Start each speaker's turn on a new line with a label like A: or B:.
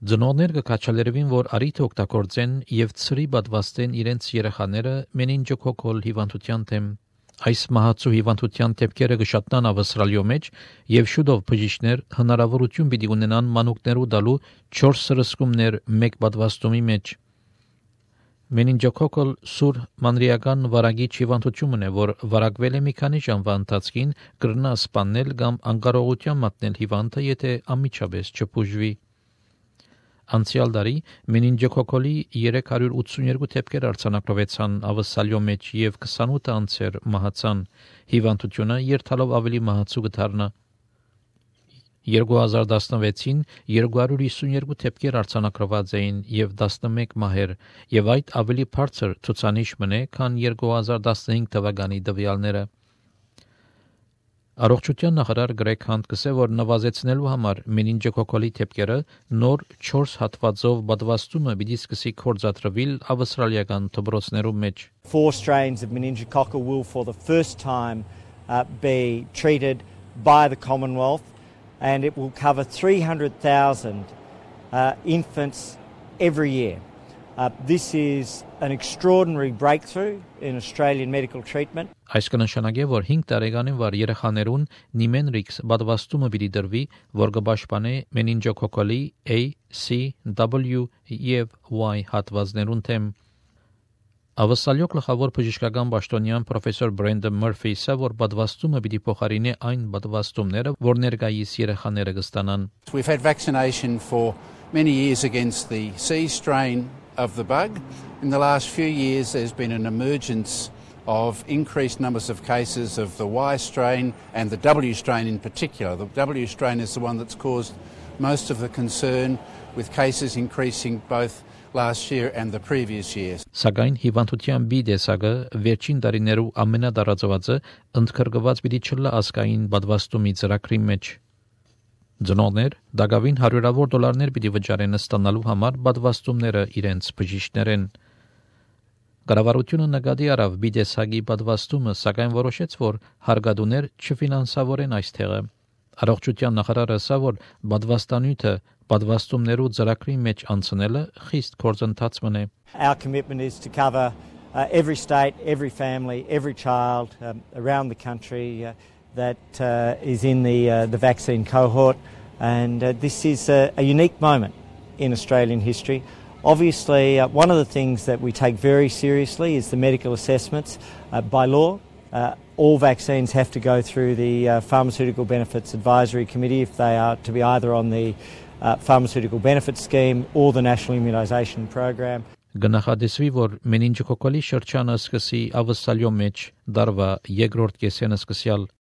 A: Ծնողներ կքաչալերևին, որ արիթ օգտագործեն եւ ծրի պատվաստեն իրենց երեխաները մենինջոկոկալ հիվանդության դեմ։ Այս մահացու հիվանդության դեպքերը կշատնան Ավստրալիո մեջ եւ շուտով բժիշկներ հնարավորություն պիտի ունենան մանուկներու տալու 4 սրսկումներ մեկ պատվաստումի մեջ։ Մենինջոկոկալ սուր մանրիական վարակիչ հիվանդությունն է, որ վարակվել է մի քանի ժամվա ընթացքին, կրնա սպանել կամ անկարողության մատնել հիվանդը, եթե անմիջապես չբուժվի։ Անցյալ տարի մենինջոկոկալի 382 դեպքեր արձանագրվեցան Ավստրալիո մեջ եւ 28 անձեր մահացան։ Հիվանդությունը երթալով ավելի մահացու կդառնա։ 2016-ին 252 դեպքեր արձանագրված էին եւ 11 մահեր, եւ այդ ավելի բարձր ցուցանիշ մնե, քան 2015 թվականի տվյալները։ Առողջության նախարար Գրեգ Հանտ կսե, որ նվազեցնելու համար մենինջոկոկալի դեպքերը նոր 4 հատվածով պատվաստումը պիտի սկսի կորցատրվել ավստրալիական դպրոցներում մեջ։
B: 4 strains of meningococcal will for the first time be treated by the Commonwealth, and it will cover 300,000 infants every year. This is an extraordinary breakthrough in Australian medical treatment.
A: Այս կնշանակի, որ 5 տարեկանին վար երեխաներուն Nimenrix պատվաստումը պիտի դրվի, որ կպաշտպանե մենինջոկոկալի A, C, W եւ Y հատվածներուն դեմ։ Ավստրալիո գլխավոր բժշկական պաշտոնյան պրոֆեսոր Բրենդոն Մըրֆիսը, որ պատվաստումը պիտի փոխարինի այն պատվաստումները, որ ներկայիս երեխաները կստանան։
C: We've had vaccination for many years against the C strain of the bug. In the last few years there's been an emergence of increased numbers of cases of the Y strain and the W strain in particular. The W strain is the one that's caused most of the concern, with cases increasing both last year and the previous years.
A: Սակայն հիվանդության B տեսակը վերջին տարիներու ամենադարածվածը ընդգրկված պիտի չլա ազգային պատվաստումի ծրագրի մեջ։ Ծնողներ դակավին $100,000 պիտի վճարեն ստանալու համար պատվաստումները իրենց բժիշկներեն։ Կառավարությունը նկատի առավ B տեսակի պատվաստումը, սակայն որոշեց, որ հարգադուներ չֆինանսավորեն այս թեղը։ Առողջության նախարարը ասա, որ պատվաստանյութը պատվաստումներու ծրագրի մեջ անցնելը խիստ գործընթաց մնե։
B: Our commitment is to cover every state, every family, every child around the country that is in the vaccine cohort, and this is a unique moment in Australian history. Obviously, one of the things that we take very seriously is the medical assessments. By law, all vaccines have to go through the Pharmaceutical Benefits Advisory Committee if they are to be either on the Pharmaceutical Benefits Scheme or the National Immunisation Program.
A: Գնահատեսվի, որ մենինջոկոկալի շրջանը սկսի Ավստրալիո մեջ դարվա երկրորդ կեսենը սկսյալ